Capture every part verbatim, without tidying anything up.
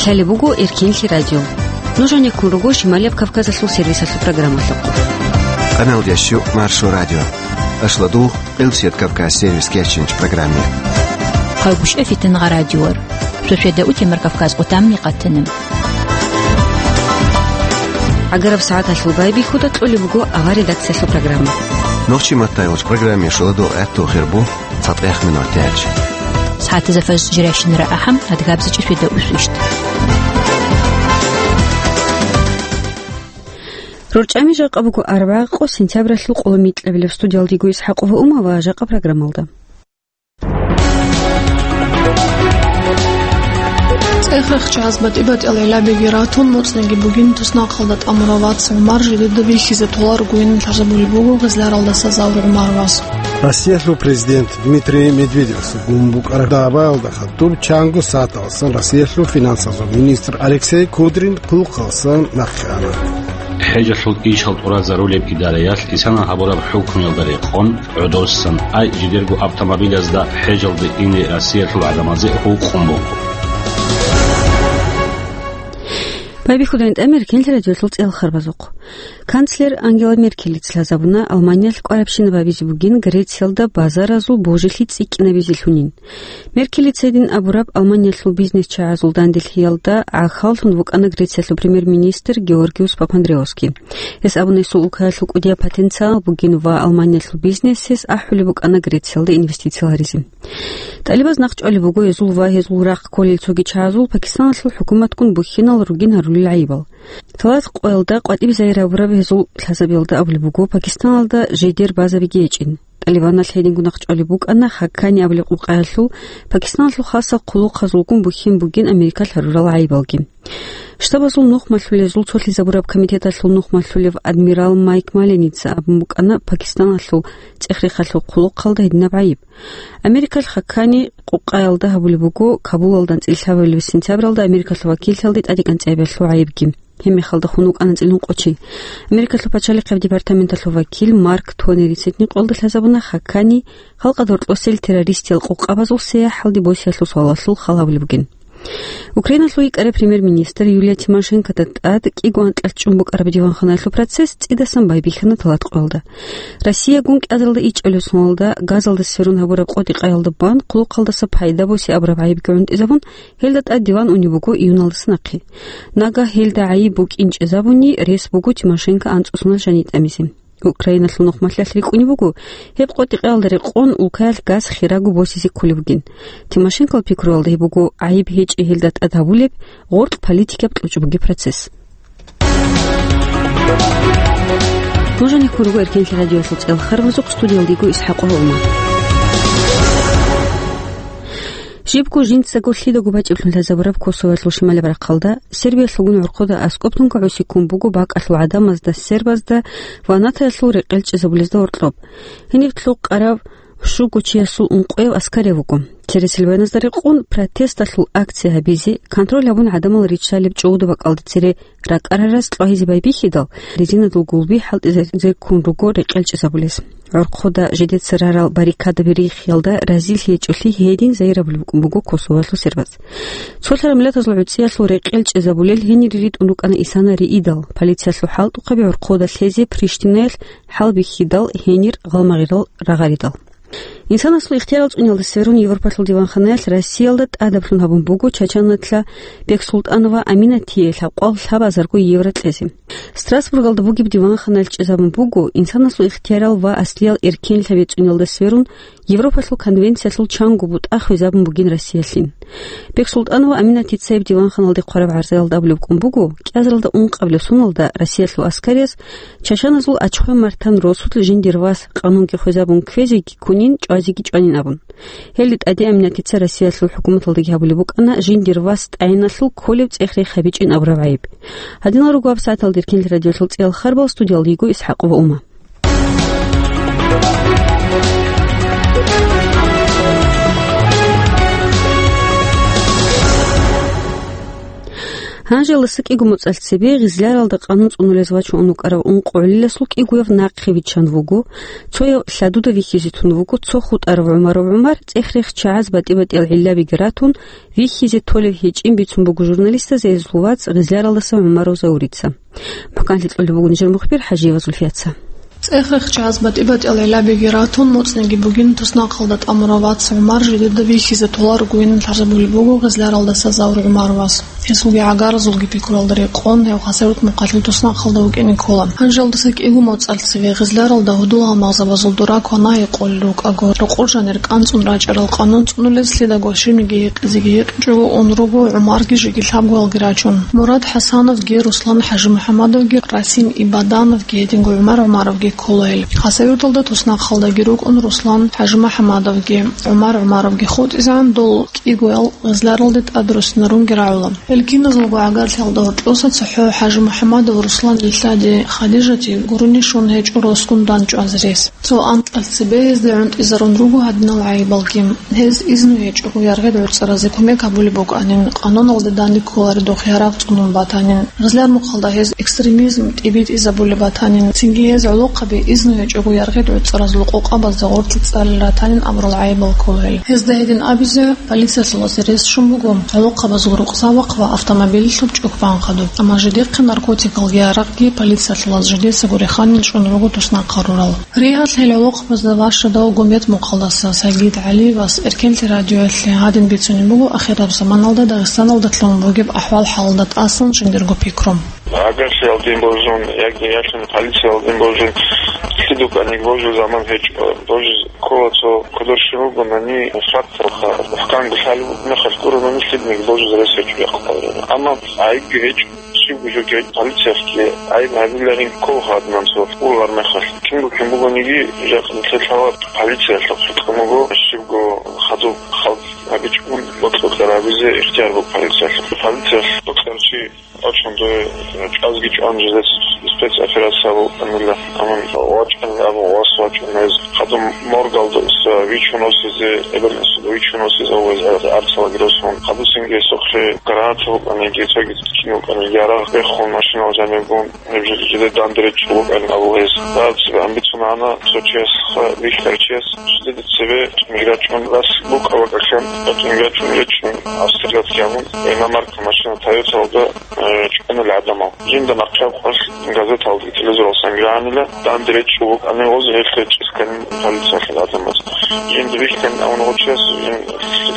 Лъалеб буго Эркенлъи радио. Нуж гьанеккун руго Шималияб Кавказалъул сервисалъул программалъухъ. Къаналдящу Маршо радио. Ашладугъ Къилсият Кавказ сервис кечинч программе. Хъагушев Фитнагъа радиор. Шошеда утемар Кавказ къутамни къатанам. Агараб сагӀаталъул байбихьуда кьолеб буго авар редакциялъул программа. Нохчи маттайгъуч программе шуладул гӀатту хирбу. ЦатӀех минутач. СагӀатазда фажр жирайщинара ахӀам, адгабзичӀи шведа усвищт. РорчӀами жакъа буго арбагъ къо сентябралъул къоло микьабилеб. Студиялдего Исхакъова Ума ва жакъа программалда. ЦӀехрехъ чагӀаз батӀи-батӀиял гӀиллабиги ратун, моцӀниги бугин, туснахъалда тӀамурав вац ГӀумар жидеда бихьизе толаргойин лъазабулеб буго Гъизляралдаса Завр ГӀумар вас. Россиялъул президент Дмитрий Медведевас гун букӀараб дагӀбаялда хадуб чанго сагӀаталдасан Россиялъул финансазул министр Алексей Кудрин хъулухъалдасан нахъе ана. ХӀежалъул ишал тӀуразарулеб идараялъ исана гьабураб хӀукмуялда рекъон, гӀодосан, ай жидерго автомобилазда хӀежалде ине Россиялъул гӀадамазе гьукъун буго. Байбихьудайн тӀамир кенлъи радиолъул цӀел харбазухъ. Канцлер Ангела Меркелица лъазабуна Алманиялъ кӀварабщинаб гьабизе бугин Грециялда базаразул божилъи цӀикӀкӀинабизе лъунин. Меркелица гьедин абураб Алманиялъул бизнес-чагӀазул данделъиялда гӀахьаллъун вукӀана Грециялъул премьер-министр Георгиус Папандреосги. Гьес абуна гьесул улкаялъул кӀудияб потенциал бугин ва Алманиялъул бизнесас ахӀулеб букӀана Грециялда инвестиция гьаризе. ТӀалибаз нахъ чӀвалеб буго гьезул ва гьезул рахъ кколел цоги чагӀазул Пакистаналъул хӀукуматгун бухьинал ругин гьарулел гӀайибал. Талат къоялда къватӀиб зайрабураб гьезул лъазабиялда абулеб буго Пакистаналда жидер базабиги гьечӀин. ТӀалибаналъ гьединго нахъ чӀвалеб букӀана Хаккани абулеб къукъаялъул Пакистаналъул хасал хъулухъазулгун бухьин бугин Америкалъ гьарурал гӀайибалги. Штабазул нухмалъулезул цолъизабураб комитеталъул нухмалъулев адмирал Майк Маленица абун букӀана Пакистаналъул цӀех-рехалъул хъулухъалда гьединаб гӀайиб. Америкалъ Хаккани къукъаялда гьабулеб буго Кабулалда анцӀила лъабабилеб сентябралда Америкалъул вакиллъиялде тӀадекӀанцӀиябиялъул гӀайибги. Гьеб мехалда хун вукӀана анцӀила ункъо чи. Америкалъул пачалихъияб департаменталъул вакил Марк Тонерица гьедин къоялда лъазабуна Хаккани халкъалда гьоркьосел террористиял къокъабазул сияхӀалде босиялъул суалалъул хал гьабулеб бугин. Украиналъул йикӀараб премьер-министр Юлия Тимошенкода тӀад кӀиго анкьалъ чӀун букӀараб диванханаялъул процесс цӀидасан байбихьана талат къоялда. Россиягун кӀиазаралда ичӀабилеб соналда газалда сверун гьабураб къотӀи-къаялда бан хъулухъалдаса пайда босе абураб гӀайибги гӀунтӀизабун, гьелда тӀад диван унеб буго июналдаса нахъе. Нагагь гьелда гӀайиб букӀинчӀезабуни рес буго Тимошенко анцӀусунал жаниб тӀамизе. Украиналъул нухмалъиялъ рикӀкӀунеб буго, гьеб къотӀи-къаялда рекъон улкаялъ газ хирагу босизе кколеб бугин. Тимошенкол пикруялда гьеб буго гӀайиб гьечӀеб гьелда тӀад гьабулеб гъоркь политикияб кьучӀ бугеб процесс. Нуж гьанеккун руго Эркенлъи радиоялъул цӀел харбазухъ, студиялдего Исхакъова Ума. Жибго жинцаго лъидаго бачӀиблъун лъазабураб Косовоялъул шималаб рахъалда, Сербиялъулгун гӀорхъода аскӀоб тункагӀуси ккун буго бакӀалъул гӀадамазда, сербазда ва натаялъул рекъел чӀезабулезда гьоркьоб. Гьениб лъукъарав щуго чиясул ункъояв аскарав вуго. Цересел вайназда рекъон протесталъул акция гьабизе, контроль гьабун гӀадамал риччалеб чӀогӀуда бакӀалде цере ракӀарараз кьвагьизе байбихьидал, резинадул гулби хӀалтӀизарзе ккун руго рекъел чӀезабулез. ГӀорхъода жидеца рарал баррикадаби рихиялда разилъи гьечӀолъи гьедин загьирабулеб букӀун буго Косовоялъул сербаз. Цолъараб миллатазул гӀуцӀиялъул рекъел чӀезабулел гьенире ритӀун рукӀана исана риидал, полициялъул хӀалтӀухъаби гӀорхъода лъезе Приштинаялъ хӀалбихьидал, гьенир гъалмагъирал рагъаридал. Инсанасул ихтиярал цӀуниялда сверун Европалъул диванханаялъ Россиялда тӀадаблъун гьабун буго Чачаналъа Бексултанова Аминатие лъабкъоялда лъабазарго евро кьезе. Страсбургалда бугеб диванханаялъ чӀезабун буго, инсанасул ихтиярал ва аслиял эркенлъаби цӀуниялда сверун Европалъул конвенциялъул чанго бутӀа хвезабун бугин Россиялъин. Бексултанова Аминатица гьеб диванханалде хъвараб гӀарзаялда абулеб букӀун буго, кӀиазаралда ункъабилеб соналда Россиялъул аскарияс чачаназул ачхъве-мартан росулъ жиндир вас къанунги хвезабун кквезеги ккунин, чӀвазеги чӀванин абун. Гьелде тӀаде Аминатица Россиялъул хӀукуматалдаги гьабулеб букӀана жиндир вас тӀагӀиналъул кколеб цӀех-рех гьабичӀин абураб гӀайиб. Гьадинал руго гьаб сагӀаталда Эркенлъи радиоялъул цӀиял харбал, студиялда йиго Исхакъова Ума. Гьанжелдаса кӀиго моцӀалъ цебе Гъизляралда къанун цӀунулез вачун вукӀарав ункъо гӀолиласул кӀигояв нахъе виччан вуго, цояв лъадуда вихьизе тун вуго, цо хутӀарав ГӀумаров ГӀумар цӀех-рех чагӀаз батӀи-батӀиял гӀиллабиги ратун, вихьизе толеб гьечӀин бицун буго журналистазе гьезул вацӀ Гъизляралдаса ГӀумаров Заурица. Пуканлъи кьолеб буго нижер мухбир ХӀажиева Зульфияца. ЦӀех-рех чагӀаз батӀи-батӀиял гӀиллабиги ратун, моцӀниги бугин, туснахъалда тӀамурав вац ГӀумар жидеда вихьизе толарогойин лъазабулеб буго Гъизляралдаса Заур ГӀумаровас. Гьесулги гӀагаразулги пикруялда рекъон, гьев Хасавюрт мухъалъул туснахъалда вукӀине ккола. Гьанжелдаса кӀиго моцӀалъ цеве Гъизляралда гьудул-гьалмагъзабазул дуракван гьайикъулел рукӀаго, рокъор жанир кӀанцӀун рачӀарал къанун цӀунулез лъидаго щибниги гьекъезеги гьекъичӀого ун руго ГӀумарги жеги лъабгоялги рачун. Мурад ХӀасановги, Руслан ХӀажимухӀамадовги, Расим Ибадановги, гьединго ГӀумар ГӀумаровги ккола гьел. Хасавюрталда туснахъалдаги рукӀун Руслан ХӀажимухӀамадовги, ГӀумар ГӀумаровги хутӀизегӀан дол кӀигоял Гъизляралде тӀадруссинарунги рагӀула. Гьел киназулго гӀагарлъиялда гьоркьоса цохӀо ХӀажимухӀамадов Русланил лъади Хадижати гурони щун гьечӀо росгун дандчӀвазе рес. Цо анкьалъ цебе гьезда гӀунтӀизарун руго гьадинал гӀайибалги. Гьез изну гьечӀого яргъи гӀуцӀаразе кумек гьабулеб букӀанин, къануналде данде кколаредухъ ярагъ цӀунун батанин, Гъизляр мухъалда гьез экстремизм тӀибитӀизабулеб батанин, цинги гьез гӀолохъаби изну гьечӀого яргъи гӀуцӀаразул къокъабазда гъоркье цӀалел ратанин абурал гӀайибал ккола гьел. Гьезда гьедин абизе, полициялъулазе рес щун буго гӀолохъабазул рукъзабахъ ва автомобилалъул чӀухӀ бан хадуб. Амма жидехъе наркотикалги гьаракьги полициялъулаз жидецаго реханин чӀун руго туснахъ гьарурал. Ригьалъ гьел гӀолохъабазда ващадав Гумбет мухъалдаса Сагид ГӀалиевас Эркенлъи радиоялъе гьадин бицунеб буго ахираб заманалда Дагъистаналда лъун бугеб ахӀвал-хӀалалда тӀасан жиндирго пикру. Агарлъиялдин божун, яги ялъун полициялдин божун, лъидуканик божу заман гьечӀо, божиз ккола цо кодор щиб бугони, факталха, хъанго лъалеб мехалъ гурони лъидник божиз рес гьечӀо якъ. Амма айги гьечӀо, щибго жо гьечӀо полициялъги, айги гьабиларин ккол гьадинан цо ургъар мехалъ. Кинго кин бугониги, жакъа нилъер лъала полициялъухъ хӀукмуго, щибго хадуб халкъ гьабичӀун бокьарабизе ихтияр буго полициялъухъ. Полициялъ бокьарчи Очун дуе чӀвазги чӀван жидец спецоперация букӀанила, амма вачӀан абун вас вачӀун гьез. Хадуб моргалда вичун осизе, эбел-инсуда вичун осизе, ва гьез арцалаги росун. Хадусинги сохли граната букӀаниги, цоги кин букӀаниги, ярагъ бехун машинал жанибгун, гьеб жо-, жиде данде речӀчӀун букӀанин абун гьез. ДацӀига амбицунана цо чияс, ха, бихьарчияс, жидеда цебе миграчӀун рас букӀа бакӀалъан, миграчӀун речӀчӀун, Австрияялъ гьабун, иномарка машина Тойоталда, э, чӀванила гӀадамал. Жинда нахъе къвалъ газеталги телевизоралсан гьанила, данде речӀчӀун букӀанин гъоз гьелъ речӀчӀисканин полициялъул гӀадамаз. Жинда бихьан авун гъочияс жин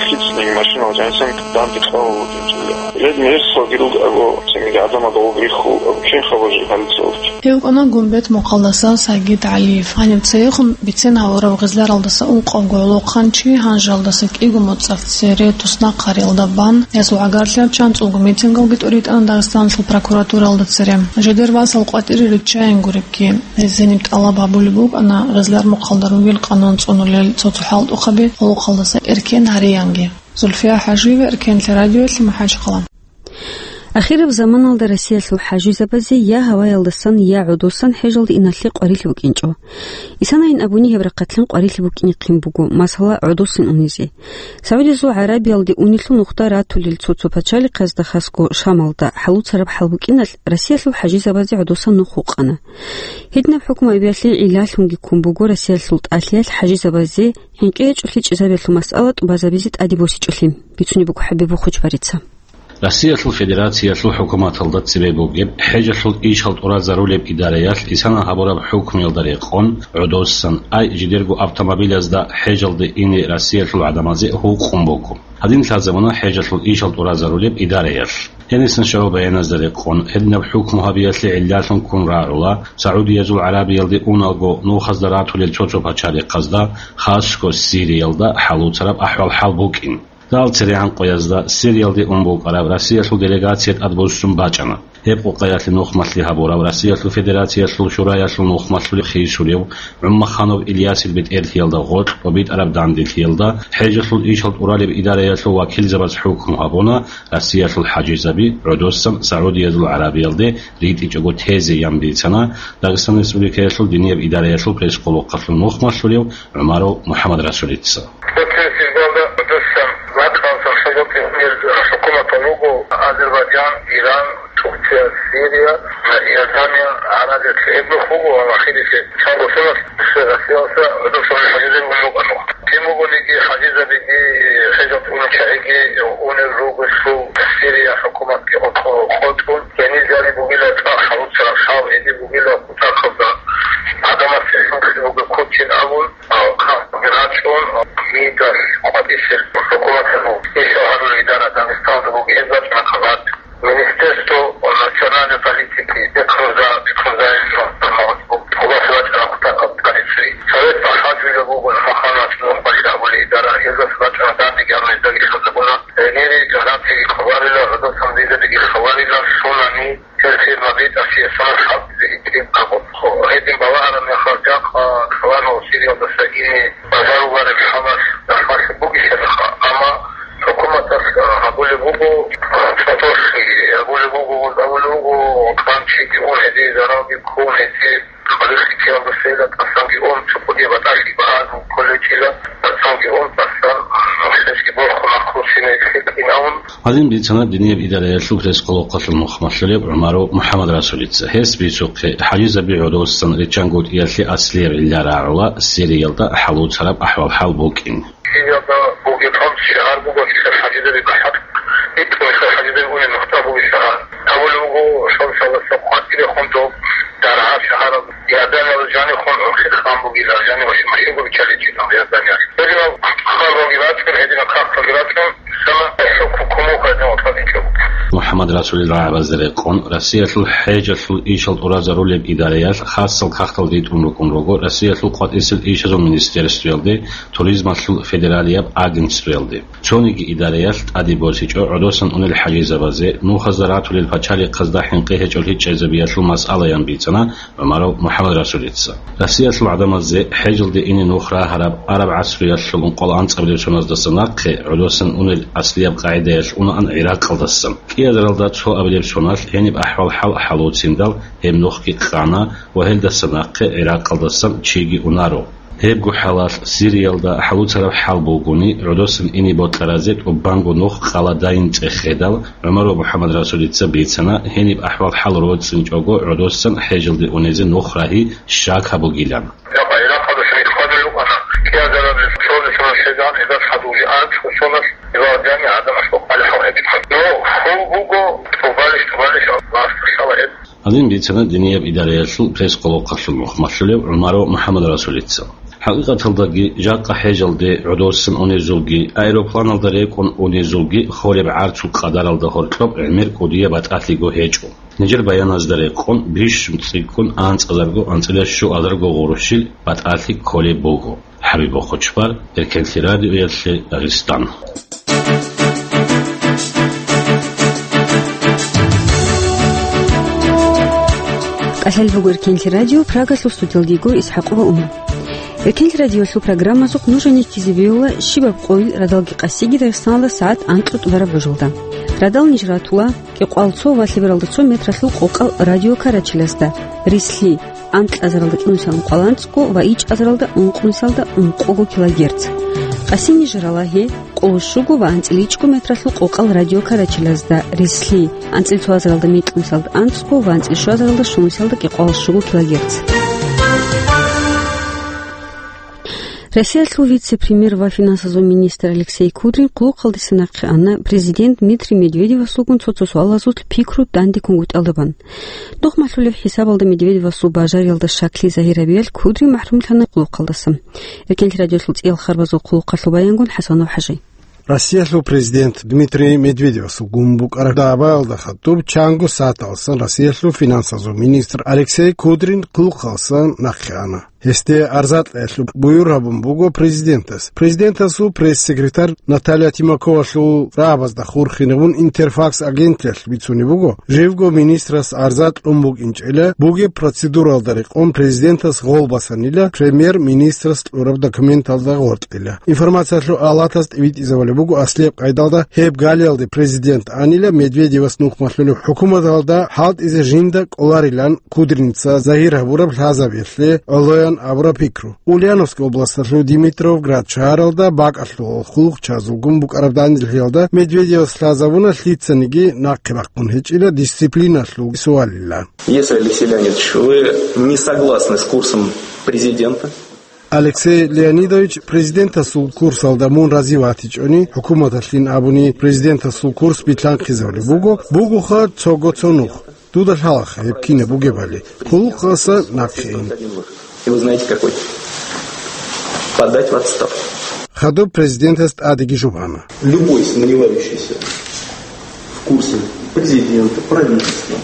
лъицӀнин машинал жанисан данде кьавал вукӀинчӀила. Ред мегьерсалги руго абу, цинги гӀадамал гъоб рихьул абу, кин хабар жи полициялги. Гьев кӀана Гумбет мухъалдаса Сагид ГӀалиев. Гьаниб цеехун бицен гьавурав Гъизляралдаса ункъавго гӀолохъанчи гьанжалдаса кӀиго моцӀалъ цере туснахъ гьариялда бан, гьесул гӀагарлъияб чанцӀулго митингалги тӀуритӀана Дагъистаналъул прокуратуралда цере. Жидер васал къватӀире риччайин гуребги, гьез гьениб тӀалаб гьабулеб букӀана Гъизляр мухъалда ругел къанун цӀунулел цо-цо хӀалтӀухъаби гӀолохъалдаса эркен гьариянги. Зульфия ХӀажиева, Эркенлъи радиоялъе, МахӀачхъала. Ахираб заманалда Россиялъул хӀажизабазе я гьаваялдасан, я гӀодосан хӀежалде иналъе къварилъи букӀинчӀо. Исанайин абуни гьеб рахъалъан къварилъи букӀинихъин буго, масала, гӀодосин унизе. СагӀудиязул ГӀарабиялде унелъул нухда ратулел цо-цо пачалихъазда, хасго Шамалда, хӀалуцараб хӀал букӀиналъ, Россиялъул хӀажизабазе гӀодосан нух гьукъана. Гьединаб хӀукму гьабиялъе гӀиллалъунги ккун буго Россиялъул тӀалъиялъ хӀажизабазе хӀинкъи гьечӀолъи чӀезабиялъул масъала тӀубазабизе тӀаде босичӀолъи, бицунеб буго ХӀабиб Бухучбарица. Россиялъул Федерациялъул хӀукуматалда цебе бугеб хӀежалъул ишал тӀуразарулеб идараялъ исана гьабураб хӀукмуялда рекъон, гӀодосан, ай жидерго автомобилязда хӀежалде ине Россиялъул гӀадамазе гьукъун буго. Гьадин лъазабуна хӀежалъул ишал тӀуразарулеб идараялъ. Гьенисан щварал баяназда рекъон, гьединаб хӀукму гьабиялъе гӀиллалъун ккун рагӀула, СагӀудиязул ГӀарабиялде уналго нухазда ратулел цо-цо пачалихъазда, хасго Сириялда, хӀалуцараб ахӀвал-хӀал букӀин. Дал церегӀан къоязда Сириялде ун букӀараб Россиялъул делегация тӀадбуссун бачӀана. Гьеб къукъаялъе нухмалъи гьабурав Россиялъул Федерациялъул Шураялъул нухмалъулев хисулев ГӀумаханов Ильясил бетӀерлъиялда гъоркь тӀобитӀараб данделъиялда хӀежалъул ишал тӀуралеб идараялъул вакилзабаз хӀукму гьабуна, Россиялъул хӀажизаби гӀодосан СагӀудиязул ГӀарабиялде ритӀичӀого тезе ян бицана Дагъистан Республикаялъул динияб идараялъул пресс-къулухъалъул нухмалъулев ГӀумаров МухӀаммадрасулица. Гьеб сирдалда гӀодосан ватӀалъан хӀужаби унел хӀукуматал руго Азербайджан, Иран, Турция, Сирия, Иордания, Аравия, гьеб нух буго ва ахирисеб чанго соналъ Россиялдаса гӀодосан хӀажизаби ун букӀана. Кин бугониги хӀажизабиги, хӀежалде унел чагӀиги унел ругелъул Сирия хӀукуматги къо-, къо-, къотӀун, гьенир жаниб бугила цӀакъ хӀалуцараб хӀал, гьениб бугила кутакалда гӀадамасе хӀинкъи бугеб кучин абун, а, хъахӀги рачӀун, а, мидас къватӀисел хӀукуматалъул ишал гьарулел идара Дагъистаналда буго, гьез бачӀана хабар. Министерство национальной политики, бехъаза-, бехъазаилан гьабулеб бачӀана кутакаб полици. Совет бахӀарчӀила буго Маханач Нурхъалил абулеб идара, гьезда бачӀана данде гьабулеб дагьлъазабуна. Гьенире гӀадамазеги хабарила, гӀадамазабиги хабарила, сунани Гьел фирмаби тӀасиясанал хӀалтӀизе итӀин абун. Гьедин балагьараб мехалда, жакъа каларо Сириялдаса ине бажарулареб хӀалалъ дагьалъ бугищараха, амма хӀукуматалъ гьабулеб буго, цӀодорхъи гьабулеб буго, гьабулеб буго, кӀанчиги ун гьезие, заралги ккун гьезие, хъалихъичиялдаса тӀасанги ун, цо кӀудияб батӀалъи багьазе кколечӀила, тӀасанги ун, тӀасан гьесги борхун ахърусине лъикӀин абун, Гьадин бицана динияб идараялъул пресс-къолохъалъул нухмалъулеб ГӀумаров МухӀаммадрасулица. Гьес бицухъе, хӀажизаби гӀодосан риччанго кӀиялъе аслияб гӀилла рагӀула Сириялда хӀалуцараб ахӀвал-хӀал букӀин. Сириялда бугеб хамс шагьар буго, гьелъул хӀажизаби бахӀарчӀ, гьитӀун гьелъул хӀажизаби унел нухда бугеб шагьар. Гьабулеб буго, шалсалдаса къватӀирехун доб даргьа шагьарал Иорданиялда жанихун урхи хъан бугила, жани машин-машинго биччаличӀила Иорданиялъ. Гьединал хъарбалги рачӀун, гьединал кагъталги рачӀун, МухӀаммадрасулил рагӀабазда рекъон, Россиялъул хӀежалъул ишал тӀуразарулеб идараялъ хасал кагътал ритӀун рукӀун руго Россиялъул къватӀисел ишазул министерствоялде, туризмалъул федералияб агентствоялде. Цониги идараялъ тӀаде босичӀо гӀодосан унел хӀажизабазе, нухазда ратулел пачалихъазда хӀинкъи гьечӀолъи чӀезабиялъул масъалаян бицана ГӀумаров МухӀаммадрасулица. Россиялъул гӀадамазде хӀежалде ине нух рагьараб араб гӀасруялъул ункъоялда анцӀабилеб соназдаса нахъе гӀодосан унел аслияб къагӀидаялъ унаан ГӀиракъалдасан. КӀиазаралда цо абилеб соналъ гьениб ахӀвал-хӀал хӀалуциндал гьеб нухги къана ва гьелдаса нахъе ГӀиракъалдасан чиги унаро. Гьебго хӀалалъ Сириялда хӀалуцараб хӀал бугони, гӀодосан ине бокьаразе тӀубанго нух къала дайин цӀехедал, ГӀумаров МухӀаммадрасулица бицана, гьениб ахӀвал-хӀал роцӀцӀинчӀого гӀодосан хӀежалде унезе нух рагьи щак гьабугилан. Жакъа Иракъалда шайихъ хадур рукӀана, кӀиазараб цолесанал хӀезан гьезда хадув жи анцӀго соналъ Иван Жани гӀадамас бокъали хӀал гьечӀо. Ну, хьул буго, тӀубалищ, тӀубалищ, Аллагьасда лъала гьеб. Гьадин бицана динияб идараялъул пресс-къолохъалъул нухмалъулев ГӀумаров МухӀаммадрасулица. ХӀакъикъаталдаги, жакъа хӀежалде гӀодосан унезулги, аэропланалда рекӀун унезулги холеб гӀарцул къадаралда гьоркьоб гӀемер кӀудияб батӀалъиго гьечӀо. Нижер баяназда рекъон, бищун цӀикӀкӀун анцӀазарго анцӀила щуазарго гъурущил батӀалъи кколеб буго. ХӀабиб Бохочбар, Эркенлъи радиоялъе, Дагъистан. КӀалъал буго Эркенлъи радио, Прагалъул студиялда йигур ИсхӀакъова Ума. Эркенлъи радиоялъул программазухъ нуж гьенеккизабиула щибаб къойил радалги къасиги Дагъистаналда сагӀат анкьго тӀубараб гӀужалда. Радал ниж ратула кӀикъоялда цо ва лъебералда цо метралъул къокъал радиокарачилазда, рислъи, анкьазаралда кӀинусиялда ункъоялда анцӀго ва ичӀазаралда ункънусиялда ункъого килогерц. Къасин ниж рала гьеб къоло щуго ва анцӀила ичӀго метралъул къокъал радиокарачилазда, рислъи, анцӀила цоазаралда мекьнусиялда анцӀго ва анцӀила щуазаралда щунусиялда кӀикъоялда щуго килогерц. Россиялъул вице-премьер ва финансазул министр Алексей Кудрин хъулухъалдаса нахъе ана президент Дмитрий Медведевасулгун цо-цо суалазул пикру данде ккунгутӀалдабан. Нухмалъулеб хӀисабалда Медведевасул бажариялда щаклъи загьир гьабиялъ Кудрин махӀрумлъана хъулухъалдаса. Эркенлъи радиоялъул цӀиял харбазул хъулухъалъул баянгун ХӀасанов ХӀажи. Россиялъул президент Дмитрий Медведевасул гун букӀараб дагӀбаялда хадуб чанго сагӀаталдасан Россиялъул финансазул министр Алексей Кудрин хъулухъалдаса нахъе ана. Гьесде арза кьеялъул буюр гьабун буго президентас. Президентасул пресс-секретарь Наталья Тимаковалъул рагӀабазда хурхинабун Интерфакс агенталъ бицунеб буго, живго министрас арза кьун букӀинчӀила бугеб процедуралда рекъон президентас гъол басанила, премьер-министрас кьураб документалда гъоркьила. Информациялъул алатаз тӀибитӀизабулеб буго аслияб къайдалда гьеб галиялде президент анила Медведевас нухмалъулеб хӀукуматалда хӀалтӀизе жинда кӀоларилан Кудриница загьир гьабураб лъазабиялъе гӀоло абураб пикру. Ульяновск областалъул Димитровград шагьаралда бакӀалъулал хъулухъчазулгун букӀараб данделъиялда Медведевас лъазабуна лъицаниги нахъе бахъун гьечӀила дисциплиналъул суалила. Если, Алексей Леонидович, вы не согласны с курсом президента, Алексей Леонидович, президентасул курсалда мун рази ватичӀони, хӀукуматалъин абуни президентасул курс битлъанхъизабулеб буго, бугоха цого цо нух. Дуда лъалаха гьеб кинаб бугебали, хъулухъаса нахъе ин. И вы знаете какой? Подать в отставку. Хадуб президентас тӀадеги жубана. Любой сомневающийся в курсе президента, правительства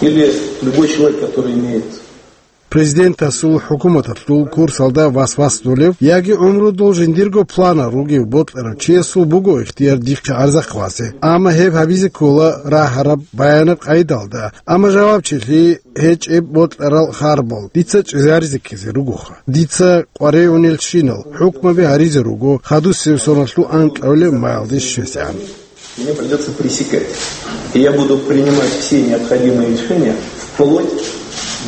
или любой человек, который имеет Президентасул, хӀукуматалъул курсалда васвасдулев яги гӀумрудул жиндирго планал ругев бокьарав чиясул буго ихтияр дихъе гӀарзахъ вазе. Амма гьеб гьабизе ккола рагьараб баянаб къайдалда. Амма жавабчилъи гьечӀеб бокьарал харбал дица чӀезаризе ккезе ругоха. Дица къваригӀунелщинал хӀукмаби гьаризе руго хадусеб соналъул анкьавилеб маялде щвезегӀан. Мне придётся пресекать. И я буду принимать все необходимые решения вплоть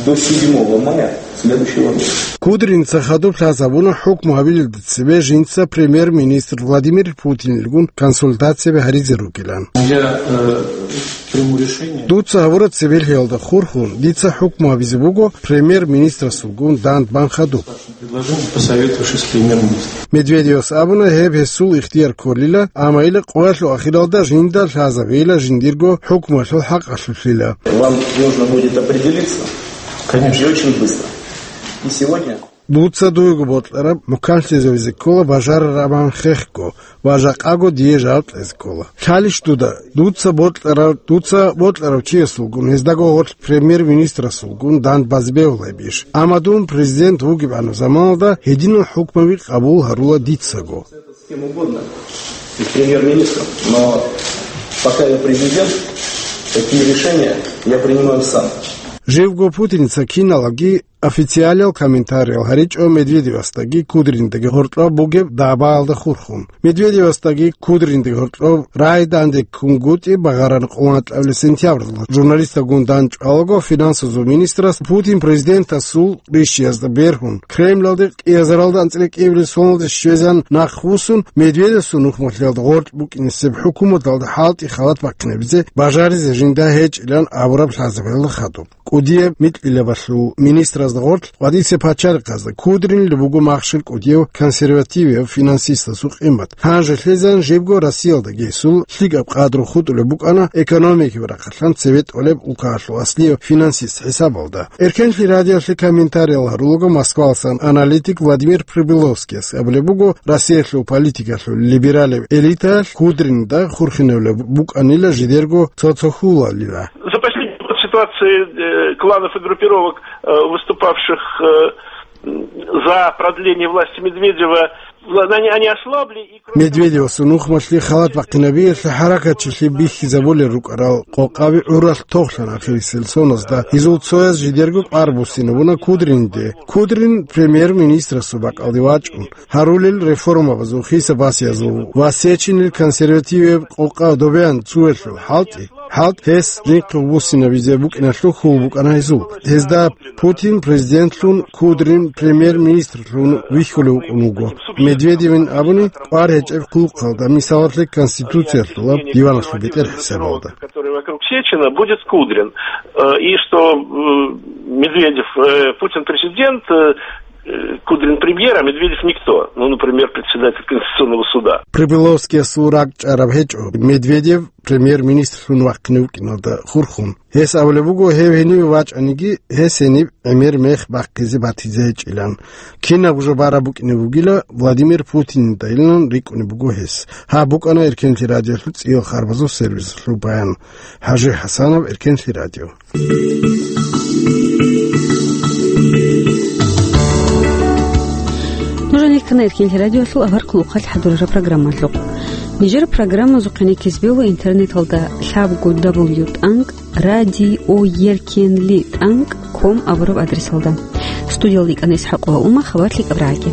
до седьмого мая следующего года. Кудриница хадуб лъазабуна хӀукму гьабилелда цебе жинца премьер-министр Владимир Путинилгун консультацияби гьаризе ругилан. Я, э, приму решение. Дуца гьабураб цебелъиялда хурхун, дица хӀукму гьабизе буго премьер-министрасулгун дандбан хадуб. Предложение, посоветовавшись с премьер-министром. Медведевас абуна гьеб гьесул ихтияр кколила, амма ила къоялъул ахиралда жинда лъазабейила жиндирго хӀукмуялъул хӀакъалъулъила. Вам нужно будет определиться. Конечно. И очень быстро. И сегодня. Дуца дуего бокьараб муканлъизавизе ккола бажарарабан хехго, ва жакъаго дие жал кьезе ккола. Лъалищ дуда, дуца бокьарав, дуца бокьарав чиясулгун, гьездаго гъорлъ премьер-министрасулгун дандбазе бегьулебищ? Амма дун президент вугебгӀанаб заманалда гьединал хӀукмаби къабул гьарула дицаго. С кем угодно, и с премьер-министром, но пока я президент, такие решения я принимаю сам. Живго Путиница киналаги официалиял комментариял гьаричӀо Медведевасдаги Кудринидаги гьоркьоб бугеб дагӀбаялда хурхун. Медведевасдаги Кудринидаги гьоркьоб рагӀи данде ккунгутӀи багъараб къоло кӀиабилеб сентябралда журналисталгун дандчӀвалаго финансазул министрас Путин президентасул рищиязда бергьун, Кремлалде кӀиазаралда анцӀила кӀиабилеб соналде щвезан нахъвуссун, Медведевасул нухмалъиялда гъоркь букӀинесеб хӀукуматалда хӀалтӀи халат бахъинабизе бажаризе жинда гьечӀилан абураб лъазабиялда хадуб. КӀудияб микьилабалъул министразда гъорлъ къватӀисе пачалихъазда Кудринилда буго махщел кӀудияв консервативияв финансистасул къимат. Гьанже лъезан жибго Россиялдаги гьесул лъикӀаб къадру хутӀулеб букӀана экономикияб рахъалъан цебетӀолеб улкаялъул аслияв финансист хӀисабалда. Эркенлъи радиолъе комментариял гьарулаго Москваласан аналитик Владимир Прибыловскияс абулеб буго, Россиялъул политикалъул либералияб элитаялъ Кудринида хурхинавилеб букӀанила жидерго цо-цо хьулалила. За последний год ситуация, э, кланов и группировок, э, выступавших, э, м, за продление власти Медведева, они, они ослабли и, кроме того, Медведевасул нухмалъи халат бахъинабиялъе хӀаракатчилъи бихьизабулел рукӀарал къокъаби гӀуралъ тохлъана ахирисел соназда. Гьезул цояз жидерго кӀвар буссинабуна Кудриниде. Кудрин премьер-министрасул бакӀалде вачӀун, гьарулел реформабазул хиса-басиязул ва сечинел консервативияб къокъа добеян цуялъул хӀалтӀи, хӀалтӀ гьес жинхъ буссинабизе букӀиналъул хьул букӀана гьезул. Гьезда Путин президентлъун, Кудрин премьер-министрлъун вихьулев вукӀун вуго. Медведевин абуни, кӀвар гьечӀеб хъулухъалда, мисалалъе, Конституциялъулаб диваналъул бетӀер хӀисабалда. Который вокруг Сечина, будет Кудрин. Э, и что, э, Медведев, э, Путин президент, э, э, Кудрин премьер, а Медведев никто. Ну, например, председатель Конституционного суда. Прибыловскиясул ракӀчӀараб гьечӀо Медведев премьер-министрлъун вахъине вукӀиналда хурхун. Гьес абулеб буго, гьев гьениве вачӀаниги, гьес гьениб гӀемер мех бахъизе батизе гьечӀилан. Кинаб жо бараб букӀине бугила, Владимир Путинидайилан рикӀкӀунеб буго гьес. Гьаб букӀана Эркенлъи радиолъул цӀиял харбазул сервисалъул баян. ХӀажи ХӀасанов, Эркенлъи радио. Нуж гьанир ккана Эркенлъи радиолъул авар хъулухъалъ хӀадурараб программалъухъ. Нижер программазухъе никез бегьула интернеталда лъабго дабл ю тӀанкӀ радиоеркенлъи тӀанкӀ ком абураб адресалда. Студиялда икӀана ИсхӀакъова Ума, хабар лъикӀаб рагӀаги.